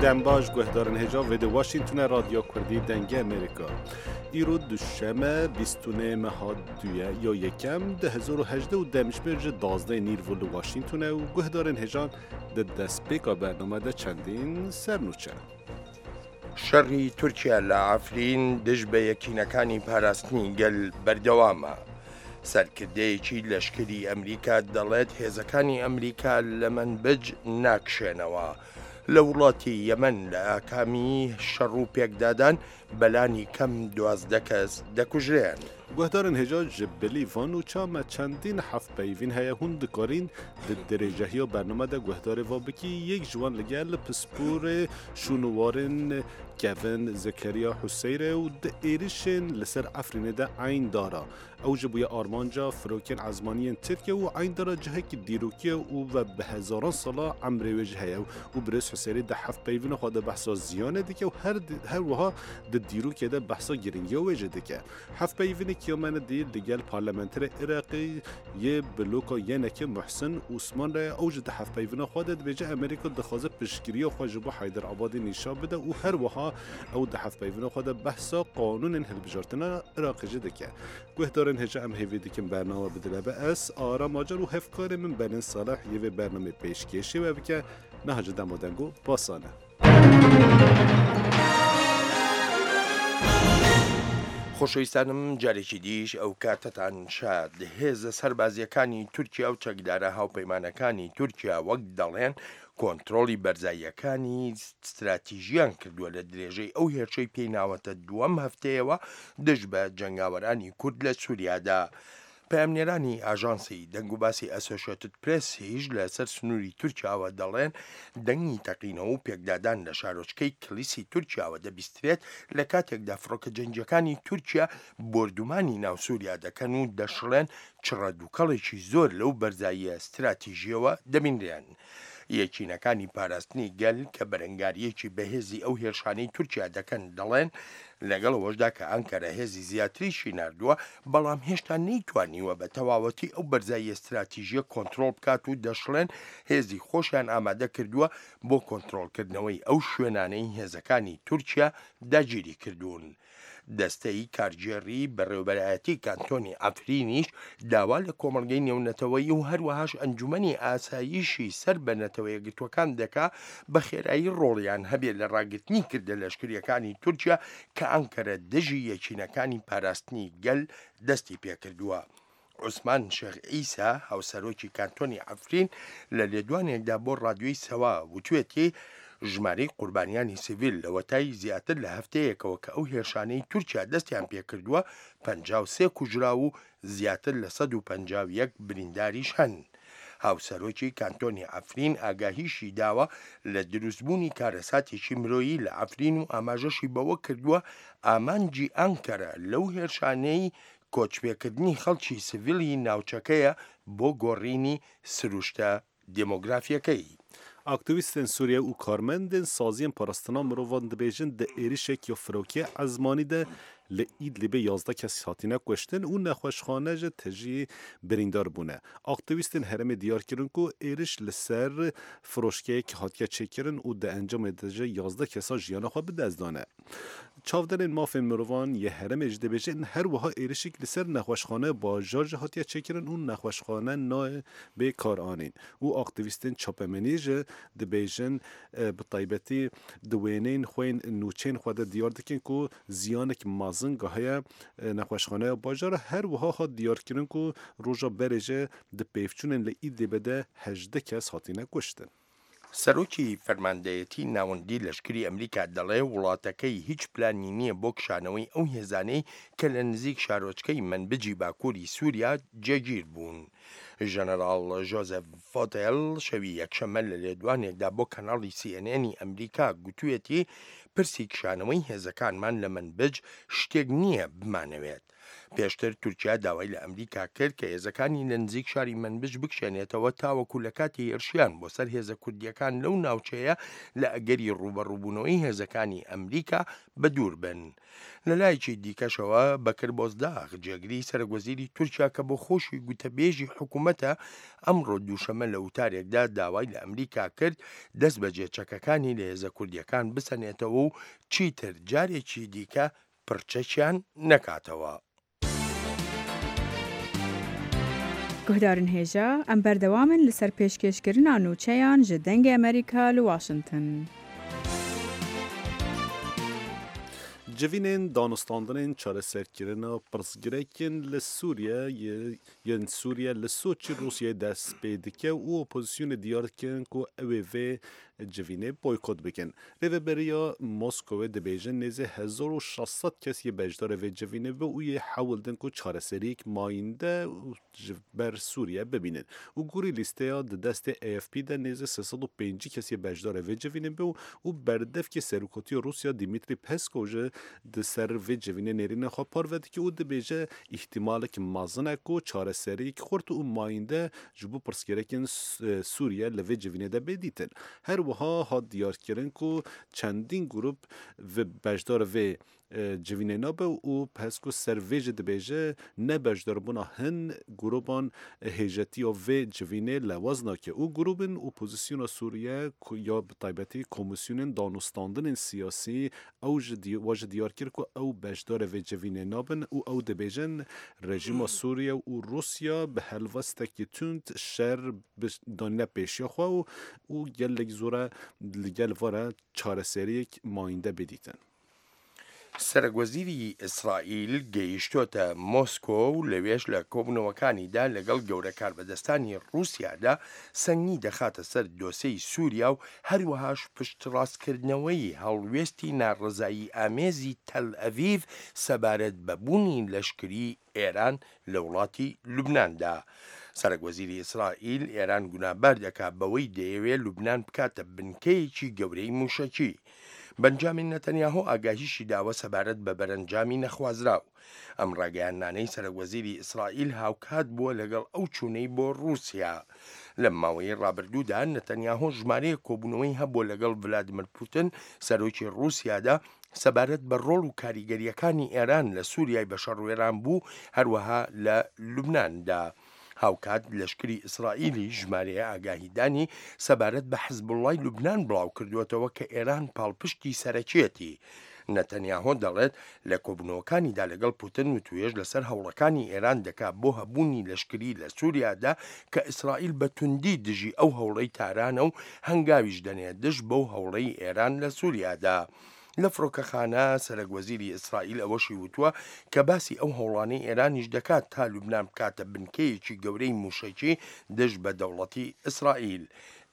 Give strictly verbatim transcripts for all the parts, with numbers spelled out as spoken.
Dem baş guhdarên hêja vê di Washingtonê Radyo Kurdî Dengê Amerîka. Îro duşeme bîst û nê meha duye ya yekem di hezar û hejdeh û demjimêr ji dazdeh nîrvo li Washingtonê û guhdarên hêjan di destpêka bername de çendîn sernûçe. شەڕی تورکیا لە عەفرین دژ بە یەکینەکانی پاراستنی گەل بەردەوامە. سەرکردەیەکی لەشکری ئەمریکا دەڵێت هێزەکانی ئەمریکا لە مەنبج ناکشێنەوە. لە وڵاتی یەمەن لە ئاکامی شەڕ و پێکدادان بەلانی کەم دوازدە کەس دەکوژرێن. Guhdarên hêja ji bilî van û ça me çendîn hevpeyvîn heye hûn dikarîn di dirêjehiya bername de guhdarê va bikî yek ji wan li gel pisporê şûnwarên kevin Zekeriya Huseyre û di êrişên li ser Efrînê de Eyndara. Ew ji bûye armanca firokên ezmaniyên Tirkiye û Eyndara cihekî dîrokî û ve bi hezaran sala emrê wê jî heye û birêz Huseyre di hevpeyvîna xwe de behsa ziyanê dike û her her wiha di dîrokê de behsa giringiya wê jî dike. Hevpeyvînê Kiyamene dî li gel parlamenterê Iraqê yê bloka Yenekê Muhsin Osman re ew ji di hevpeyvîna xwe de dibêje Amerîka dixwaze piştgiriya xwe ji bo Heyder Abadî nîşan bide û her wiha ew di hevpeyvîna xwe de behsa qanûnên hilbijartina Iraqê jî dike. Guhdarên hêja em hêvî dikin bername bidile be ez Aram Acar û hevkarê min Benin Saleh yê vê bernameyê pêşkêşê we bike niha ji dema dengo basan e. خۆشەویستانم جارێکی دیش ئەو کاتەتان شاد. هێزە سەربازیەکانی تورکیا و چەکدارە هاوپەیمانەکانی تورکیا وەک دەڵێن کۆنترۆڵی بەرزاییەکانی ستراتیژیان کردووە لە درێژەی ئەو هێرشەی پێی ناوەتە دووەم هەفتەیەوە دژ بە جەنگاوەرانی کورد لە سووریادا. پەیامنێرانی ئاژانسی دەنگوباسی ئەسۆشیتد پرێسیش لەسەر سنووری تورکیاوە دەڵێن دەنگی تەقینەوە و پێکدادان لە شارۆچکەی کلیسی تورکیاوە دەبیسترێت لە کاتێکدا فڕۆکە جەنگیەکانی تورکیا بۆردومانی ناو سووریا دەکەن و دەشڵێن چڕە دووکەڵێکی زۆر لەو بەرزاییە ستراتیژیەوە دەبینرێن. یەکینەکانی پاراستنی گەل کە بەرەنگاریەکی بەهێزی ئەو هێرشانەی تورکیا دەکەن دەڵێن لەگەڵ ئەوەشدا کە ئەنکەرە هێزی زیاتریشی ناردووە بەڵام هێشتا نەیتوانیوە بە تەواوەتی ئەو بەرزاییە ستراتیژیە کۆنترۆڵ بکات و دەشڵێن هێزی خۆشیان ئامادە کردووە بۆ کۆنترۆڵکردنەوەی ئەو شوێنانەی هێزەکانی تورکیا داگیری کردوون. دەستەی کارگێڕی بەڕێوەبەرایەتی کانتۆنی ئەفرینیش داوا لە کۆمەڵگەی نێونەتەوەیی و هەروەهاش ئەنجومەنی ئاسایشی سەر بە نەتەوە یەکگرتووەکان دەکا بە خێرایی ڕۆڵیان هەبێت لە ڕاگرتنی کردە لەشکریەکانی تورکیا کە ئەنکەرە دژی یەکینەکانی پاراستنی گەل دەستی پێکردووە. عوسمان شێخ عیسا هاوسەرۆکی کانتۆنی ئەفرین لە لێدوانێکدا بۆ ڕادیۆی سەوا وتوێتی ژمارەی قوربانیانی سیڤیل لەوەتای زیاتر لە هەفتەیەکەوە کە ئەو هێرشانەی تورکیا دەستیان پێکردووە پەنجا و سێ کوژراو و زیاتر لە سەد و پەنجا و یەک برینداریش هەن. هاوسەرۆکی کانتۆنی ئەفرین ئاگاهیشی داوە لە دروستبوونی کارەساتێکی مرۆیی لە ئەفرین و ئاماژەشی بەوە کردووە ئامانجی ئەنکەرە لەو هێرشانەی کۆچپێکردنی خەڵکی سیڤیلی ناوچەکەیە بۆ گۆڕینی سروشتە دێمۆگرافیەکەی. ئاکتیویستên Sûriye û karmendên saziyên parastina mirovan dibêjin di êrişek ya firokê ezmanî de li Idlibê yazdeh kes hatine kuştin û nexweşxane ji tejî birîndar bûne. Aktivîstên herêmê diyar kirin ku êriş li ser firoşkeyek hatiye çêkirin û di encamê de ji yazdeh kesa jiyana xwe bi dest dane. Çavderên mafên mirovan yê herêmê jî dibêjin her wiha êrişek li ser nexweşxane bajar jî hatiye çêkirin û nexweşxane nayê bê karanîn. Û aktivîstên çapemeniyê jî dibêjin bi taybetî di wêneyên xwe yên nûçeyên xwe de diyar dikin ku ziyanek mezin gahiye nexweşxaneya bajar her wiha hat diyarkirin ku roja berê jî di pêvçûnên li Idlibê de hejdeh kes hatine kuştin. سەرۆکی فەرماندەیەتی ناوەندی لەشکری ئەمریکا دەڵێ وڵاتەکەی هیچ پلانی نییە بۆ کشانەوەی ئەو هێزانەی کە لە نزیک شارۆچکەی مەنبجی باکووری سووریا جێگیر بوون. ژەنەراڵ ژۆزێف فۆتێل شەوی یەکشەممە لە لێدوانێکدا بۆ کەناڵی سی ئێن ئێنی ئەمریکا گوتوێتی پرسی کشانەوەی هێزەکانمان لە مەنبج شتێک نییە بمانەوێت. پێشتر تورکیا داوای لە ئەمریکا کرد کە هێزەکانی لە نزیک شاری مەنبج بکشێنێتەوە تاوەکو لە کاتی هێرشیان بۆ سەر هێزە کوردیەکان لەو ناوچەیە لە ئەگەری ڕووبەڕووبوونەوەی هێزەکانی ئەمریکا بەدوور بن. لە لایەکی دیکەشەوە بەکر بۆزداغ جێگری سەرۆکوەزیری تورکیا کە بۆ خۆشی گوتەبێژی حکوومەتە ئەمڕۆ دووشەمە لە وتارێکدا داوای لە ئەمریکا کرد دەست بەجێ چەکەکانی لە هێزە کوردیەکان بسەنێتەوە و چیتر جارێکی دیکە پرچەکیان نەکاتەوە. گوهدارن هێژا ئەم بەردەوامن لەسەر پێشکێشکردنا نوچەیان ji دەنگê Amerîka li Washington. Civînên danûstandinên çareserkirina pirsgirêkên li Sûriye yên Sûriye li Soçî Rûsyayê dest pê dike û opozisyonê diyar dikin ku ew ê vê civînê boykot bikin. Rêveberiya Moskowê dibêjin nêzî hezar û şeş sed kes yê beşdarê vê civînê be û yê hewl din ku çareseriyek mayînde ji ber Sûriye bibînin. Û gorî lîsteya di destê A F P de nêzî sê sed û pêncî kes yê beşdarê vê civînê be û berdevkê Serokatiya Rûsya Dmitriy Peskov ji di ser vê civînê nêrîna xwe parve dike û dibêje îhtîmalek mezin e ku çareseriyek xurt û mayînde ji bo pirsgirêkên Sûriye li vê civînê de bê dîtin. Her wiha hat diyarkirin ku çendîn grûp beşdar vê civînê nabe û Peskov ser vê jî dibêje ne beşdarbûna hin grûpan hêjetiya vê civînê lewaz nake û grûpên opozisyona Sûriye ya bi taybetî komîsyonên danûstandinên siyasî ew ji wa ji diyar kir ku ew beşdarê vê civînê nabin û ew dibêjin rejîma Sûriye û Rûsya bi helwestekî tund şer danîne pêşiya xwe û û gelek zor e li gel vare çareseriyek mayînde bê dîtin. سەرۆکوەزیری ئیسرائیل گەیشتۆتە مۆسکۆ و لەوێش لە کۆبوونەوەکانیدا لەگەڵ گەورە کاربەدەستانی ڕووسیادا سەنگی دەخاتە سەر دۆسێی سووریا و هەروەهاش پشتڕاستکردنەوەی هەڵوێستی ناڕەزایی ئامێزی تەل ئەڤیڤ سەبارەت بە بوونی لەشکری ئێران لە وڵاتی لوبناندا. سەرۆکوەزیری ئیسرائیل ئێران گونابار دەکات بەوەی دەیەوێت لوبنان بکاتە بنکەیەکی گەورەی موشەکی. بەنجامین نەتەنیاهۆ ئاگاهیشی داوە سەبارەت بە بەرەنجامی نەخوازراو. ئەم ڕاگەیاندنانەی سەرۆکوەزیری ئیسرائیل هاوکات بووە لەگەڵ ئەو چوونەی بۆ ڕووسیا. لەم ماوەی ڕابردوودا نەتەنیاهۆ ژمارەیەک کۆبوونەوەی هەبووە لەگەڵ ڤلادیمیر پوتین سەرۆکی ڕووسیادا سەبارەت بە ڕۆڵ و کاریگەریەکانی ئێران لە سووریای بەشەڕوێران بوو، هەروەها لە لوبناندا. هاوکات لەشکری ئیسرائیلی ژمارەیە ئاگاهیدانی سەبارەت بە حزبوڵای لوبنان بڵاو کردووەتەوە کە ئێران پاڵپشتی سەرەکیەتی. نەتەنیاهۆ دەڵێت لە کۆبوونەوەکانیدا لەگەڵ پوتن وتوێژ لەسەر هەوڵەکانی ئێران دەکات بۆ هەبوونی لەشکری لە سووریادا کە ئیسرائیل بە توندی دژی ئەو هەوڵەی تارانە و هەنگاویش دەنێت دژ بەو هەوڵەی ئێران لە سووریادا. لە فڕۆکەخانە سەرۆکوەزیری ئیسرائیل ئەوەشی وتووە کە باسی ئەو هەوڵانەی ئێرانیش دەکات تا لوبنان بکاتە بنکەیەکی گەورەی موشەکی دژ بە دەوڵەتی ئیسرائیل.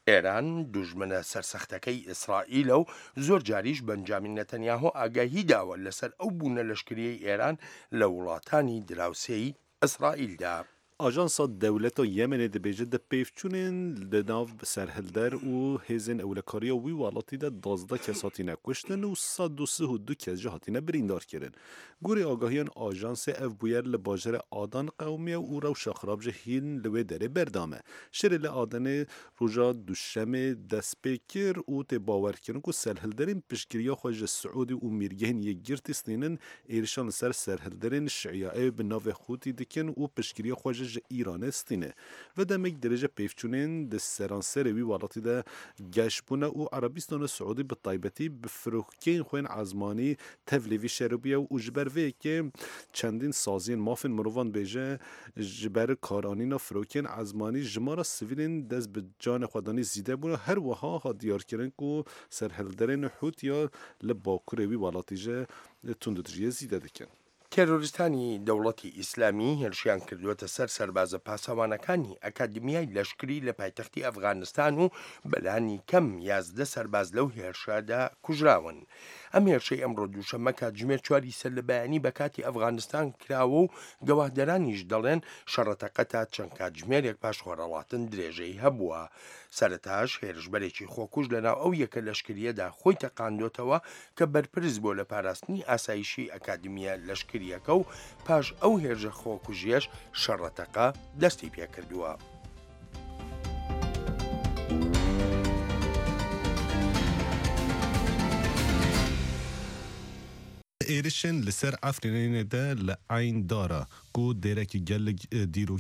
ئێران دوژمنە سەرسەختەکەی ئیسرائیلە و زۆر جاریش بەنجامین نەتەنیاهۆ ئاگاهی داوە لەسەر ئەو بوونە لەشکریەی ئێران لە وڵاتانی دراوسێی ئیسرائیلدا. ئاژانسا دەولەتا Yemenê dibêje di pêvçûnên li nav serhilder û hêzên ewlekariya wî welatî de duwazdeh kes hatine kuştin û sed û sih û du kes jî hatine birîndarkirin. Gorî agahiyan ajansê ev bûyer li bajarê Adan qewimiye û rewşa xirab jî hîn li wê derê berdame. Şerê li Adanê roja duşemê dest pê kir û tê bawerkirin ku serhilderên piştgiriya xwe ji Siûdî û mîrgehên yekgirtî stînin êrişan li ser serhilderên Şiayê bi navê Xûtî dikin û piştgiriya xwe ji İranê stîne. Ve demek derece pêvçûnên di seranserê wî welatî de geş bûne û Erebistana Siûdî bi taybetî bi firokeyên xwe yên ezmanî tevlî vî şerê bûye û ji ber vê yekê çendîn saziyên mafên mirovan bêje ji ber karanîna firokeyên ezmanî jimara sivîlên dest bi canê xwe danî zîde bûne. Her wiha hat diyarkirin ku serhilderên Hûtiya li bakurê wî welatî ji tundûtijiyê zîde dikin. تێرۆریستانی دەوڵەتی ئیسلامی هێرشیان کردووەتە سەر سەربازە پاسەوانەکانی ئەکادمیای لەشکری لە پایتەختی ئەفغانستان و بەلانی کەم یازدە سەرباز لەو هێرشادا کوژراون. ئەم هێرشەی ئەمڕۆ دووشەممە کاتژمێر چواری سەر لە بەیانی بە کاتی ئەفغانستان کراوە و گەواهدەرانیش دەڵێن شەڕەتەقە تا چەند کاتژمێرێک پاش خۆرهەڵاتن درێژەی هەبووە. سەرەتاش هێرشبەرێکی خۆکوژ لەناو ئەو یەکە لەشکریەدا خۆی تەقاندۆتەوە کە بەرپرس بووە لە پاراستنی ئاسایشی ئەکادمیە لەشکری. هەواڵگرییەکە و پاش ئەو هێرشە خۆکوژییەش شەڕەتەقە دەستی پێکردووە. Êrişên li ser Efrînê de li Eyn Dara ku dêrekî gelek dîrokî